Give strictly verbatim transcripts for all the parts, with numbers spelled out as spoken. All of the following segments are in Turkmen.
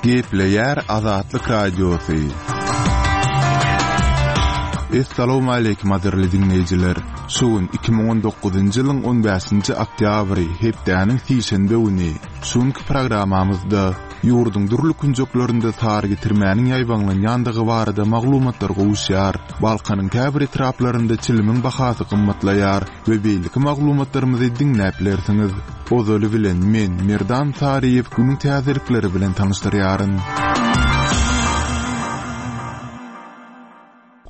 Gepleýär Azatlyk Radiosy. Essalawmaleýkim gadyrly diňleýjiler. Şu gün iki müň on dokuzynjy ýylyň on bäşinji oktýabry, hepdäniň sişenbe güni. Şu günki programmamyzda ýurduň dürli künjeklerinde sary getirmäniň ýaýbaňlanýandygy barada maglumatlar gowuşýar. Balkanyň käbir etraplarynda çilimiň bahasy gymmatlaýar we beýleki maglumatlarymyzy diňläp bilersiňiz. Ozaly bilen men Merdan Saryýew günüň täzelikleri bilen tanyşdyrýaryn.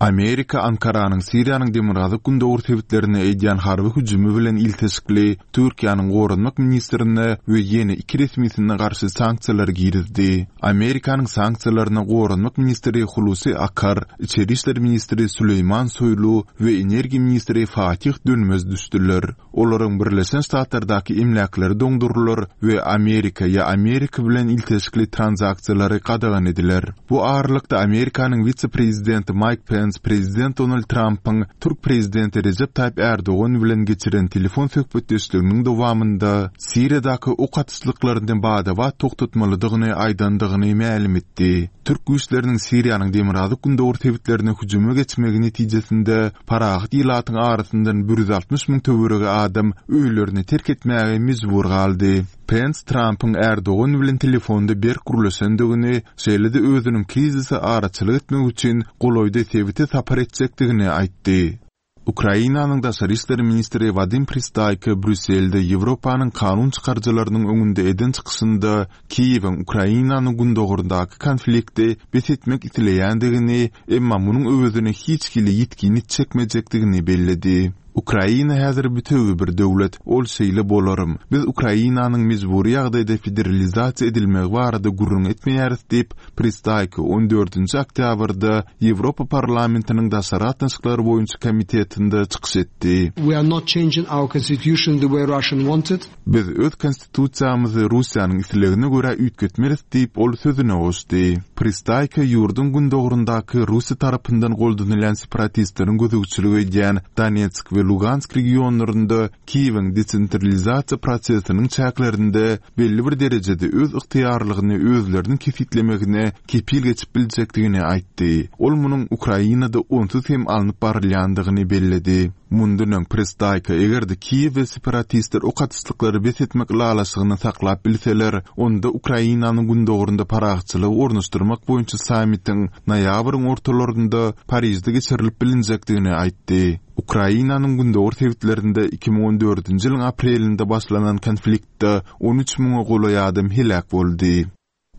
Amerika Ankaranyň Siriýanyň demirgazyk gündogar sebitlerine edýän harby hüjümi bilen ilteşikli Türkiýäniň goranmak ministrine we ýene iki resmisine garşy sanksiýalary girizdi. Amerikanyň sanksiýalaryna goranmak ministri Hulusi Akar, içeri işler ministri Süleýman Soýlu we energiýa ministri Fatih Dönmez düşdüler. Olaryň Birleşen Ştatlardaky emläkleri doňdurylar we Amerika ýa Amerika bilen ilteşikli tranzaksiýalary gadagan ediler. Bu aralykda Amerikanyň wise-prezidenti Maýk Pens prezident Donald Trampyň türk prezidenti Rejep Taýyp Erdogan bilen geçiren telefon söhbetdeşliginiň dowamynda Siriýadaky ok atyşlyklaryny bada-bat togtatmalydygyny aýdandygyny mälim etdi. Türk güýçleriniň Siriýanyň demirgazyk gündogar sebitlerine hüjüme geçmegi netijesinde parahat ilatyň arasyndan bir ýüz altmyş müň töweregi adam öýlerini terk etmäge mejbur galdy. Pens Trampyň Erdogan bilen telefonda berk gürleşendigini, şeýle-de özüniň krizise araçylyk etmek üçin golaýda sebite sapar etjekdigini aýtdy. Ukrainanyň daşary işler ministri Wadim Pristaýko Brýusselde Ýewropanyň kanun çykaryjylarynyň öňünde eden çykyşynda Kiýewiň Ukrainanyň gündogaryndaky konflikti bes etmek isleýändigini, emma munuň öwezine hiç hili ýitgini çekmejekdigini belledi. Ukraina häzir bütewi bir döwlet, ol şeýle bolarym. Biz Ukrainanyň mejbury ýagdaýda federalizasiýa edilmegi barada gürrüň etmeýäris diýip, Pristaýko on dördünji oktýabrda Ýewropa parlamentiniň daşary gatnaşyklar boýunça komitetinde çykyş etdi. We are not changing our constitution the way Russian wanted. Biz öz konstitusiýamyzy Russiýanyň islegine görä üýtgetmeris diýip, ol sözüne goşdy. Pristaýko ýurduň gündogaryndaky Russiýa tarapyndan goldanylýan separatistleriň gözegçilik edýän Donetsk we Lugansk regionlarynda Kiýewiň desentralizasiýa prosesiniň çäklerinde belli bir derejede öz ygtyýarlygyny özleriniň kesgitlemegine kepil geçip biljekdigini aýtdy. Ol munuň Ukrainada onsuz hem alnyp barylýandygyny belledi. Mundan öň Pristaýko eger-de Kiýew we separatistler ok atyşlyklary bes etmek ylalaşygyny saklap bilseler, onda Ukrainanyň gündogarynda parahatçylygy ornaşdyrmak boýunça sammitiň noýabryň ortalarynda Parižde geçirilip bilinjekdigini aýtdy. Ukrainanyň gündogar sebitlerinde iki müň on dördünji ýylyň aprelinde başlanan konfliktde on üç müňe golaý adam heläk boldy.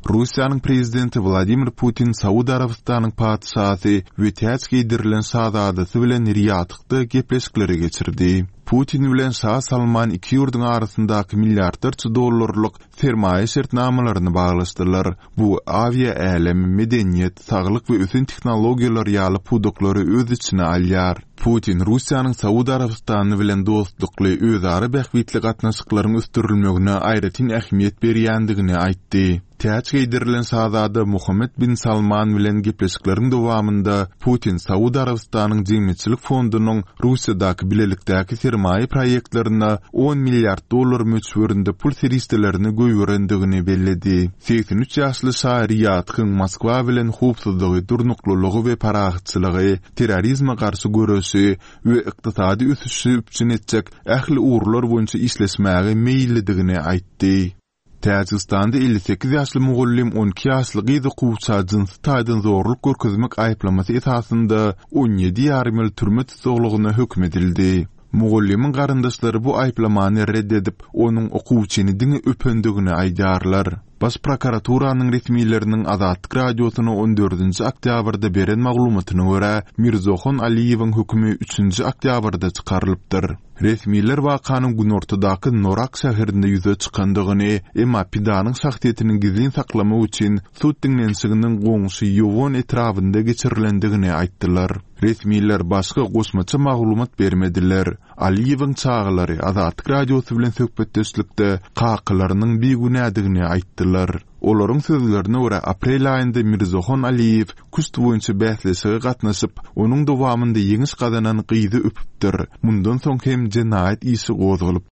Russiýanyň prezidenti Wladimir Putin Saud Arabystanyň patyşasy we täç geýdirilen şazadasy bilen Riýadda gepleşikleri geçirdi. Putin bilen Şa Salman iki ýurduň arasyndaky milliardlarça dollarlyk sermaýa şertnamalaryny baglaşdylar. Bu awiýa älem, medeniýet, saglyk we ösen tehnologiýalar ýaly pudaklary öz içine alýar. Putin Russiýanyň Saud Arabystany bilen dostlukly özara bähbitli gatnaşyklaryň ösdürilmegine aýratyn ähmiýet berýändigini aýtdy. Täç geýdirilen şazada Muhammed bin Salman bilen gepleşikleriň dowamynda Putin Saud Arabystanyň jemgyýetçilik fondunyň Russiýadaky bilelikdäki sermaýa proýektlerine on milliard dollar möçberinde pul serişdelerini goýberendigini belledi. Seksen üç ýaşly şa Riýadhyň Moskwa bilen howpsuzlygy, durnuklylygy we parahatçylygy, terrorizme garşy göreşi we ykdysady ösüşi üpjün etjek ähli ugurlar boýunça işleşmäge meýillidigini aýtdy. Täjigistanda elli sekiz ýaşly mugallym on iki ýaşly gyz okuwça jynsy taýdan zorluk görkezmek aýyplamasy esasynda on ýedi ýarym ýyl türme tussaglygyna höküm edildi. Mugallymyň garyndaşlary bu aýyplamany red edip, onuň okuwçyny diňe öpendigini aýdýarlar. Baş prokuraturanyň resmileriniň Azatlyk radiosyna on dördünji oktýabrda beren maglumatyna görä, Mirzohon Aliýewiň hökümi üçünji oktýabrda çykarylypdyr. Resmiler wakanyň günortadaky Norak şäherinde ýüze çykandygyny, emma pidanyň şahsyýetini gizlin saklamak üçin sud diňlenişiginiň goňşy Ýowon etrabynda geçirilendigini aýtdylar. Resmiler başga goşmaça maglumat bermediler. Aliýewiň çagalary Azatlyk radiosy bilen söhbetdeşlikde kakalarynyň bigünädigini aýtdylar. Olaryň sözlerine görä aprel aýynda Mirzohon Aliýew küşt boýunça bäsleşige gatnaşyp, onuň dowamynda ýeňiş gazanan gyzy öpüpdir. Mundan soň hem jenaýat işi gozgalyp.